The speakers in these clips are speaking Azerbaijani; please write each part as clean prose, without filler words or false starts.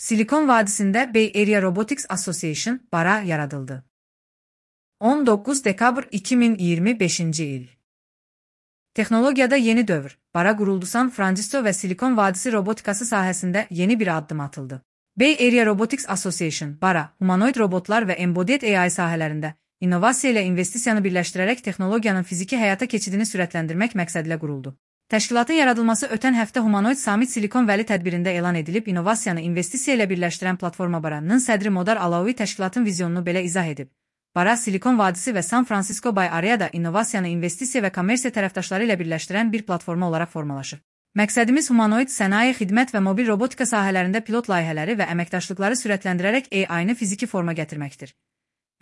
Silikon Vadisi'nde Bay Area Robotics Association, BARA yaradıldı. 19 dekabr 2025 il. Texnologiyada yeni dövr, BARA quruldu. San Francisco ve Silikon Vadisi robotikası sahəsində yeni bir addım atıldı. Bay Area Robotics Association, BARA, humanoid robotlar ve embodied AI sahələrində innovasiya ilə investisiyanı birləşdirərək texnologiyanın fiziki həyata keçidini sürətləndirmək məqsədilə quruldu. Təşkilatın yaradılması ötən həftə Humanoid Summit Silikon Valley tədbirində elan edilib. İnovasiyanı investisiya ilə birləşdirən platforma BARA-nın sədri Modar Alaoui təşkilatın vizyonunu belə izah edib. BARA, Silikon Vadisi və San Francisco Bay Area'da innovasiyanı investisiya və kommersiya tərəfdaşları ilə birləşdirən bir platforma olaraq formalaşır. Məqsədimiz humanoid sənaye, xidmət və mobil robotika sahələrində pilot layihələri və əməkdaşlıqları sürətləndirərək AI-nı fiziki forma gətirməkdir.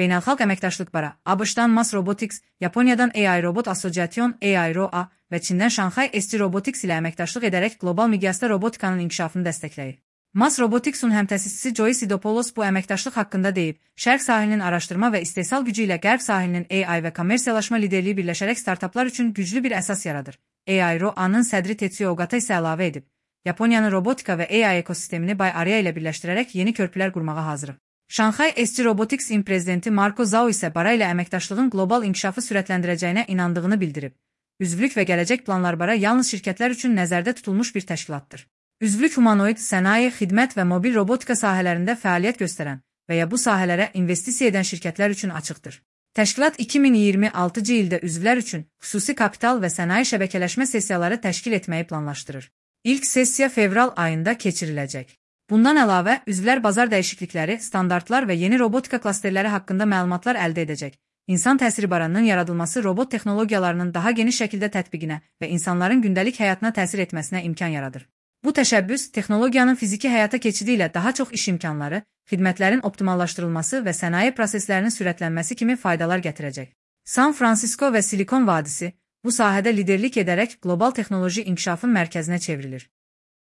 Beynəlxalq əməkdaşlıq BARA, ABŞ-dan Mass Robotics, Yaponiyadan AI Robot Association (AIRO-A) və Çindən Shanghai ST Robotics ilə əməkdaşlıq edərək qlobal miqyasda robotikanın inkişafını dəstəkləyir. Mass Robotics'un həmtəsisçisi Joy Sidopoulos bu əməkdaşlıq haqqında deyib, Şərq sahilinin araşdırma və istehsal gücü ilə Qərb sahilinin AI və kommersiyalaşma liderliyi birləşərək startaplar üçün güclü bir əsas yaradır. AIRO-A-nın sədri Tetsuya Ogata isə əlavə edib, Yaponiyanın robotika və AI ekosistemini Bay Area ilə birləşdirərək yeni körpülər qurmağa hazırıq. Shanghai ST Robotics'in prezidenti Marco Zhao isə BARA ilə əməkdaşlığın qlobal inkişafı sürətləndirəcəyinə inandığını bildirib. Üzvlük və gələcək planlar BARA yalnız şirkətlər üçün nəzərdə tutulmuş bir təşkilatdır. Üzvlük humanoid, sənaye, xidmət və mobil robotika sahələrində fəaliyyət göstərən və ya bu sahələrə investisiya edən şirkətlər üçün açıqdır. Təşkilat 2026-cı ildə üzvlər üçün xüsusi kapital və sənaye şəbəkələşmə sessiyaları təşkil etməyi planlaşdırır. İlk sessiya fevral ayında keçiriləcək. Bundan əlavə, üzvlər bazar dəyişiklikləri, standartlar və yeni robotika klasterləri haqqında məlumatlar əldə edəcək. İnsan təsiri BARA-nın yaradılması robot texnologiyalarının daha geniş şəkildə tətbiqinə və insanların gündəlik həyatına təsir etməsinə imkan yaradır. Bu təşəbbüs, texnologiyanın fiziki həyata keçidi ilə daha çox iş imkanları, xidmətlərin optimallaşdırılması və sənaye proseslərinin sürətlənməsi kimi faydalar gətirəcək. San Francisco və Silikon Vadisi bu sahədə liderlik edərək qlobal texnoloji inkişafın mərkəzinə çevrilir.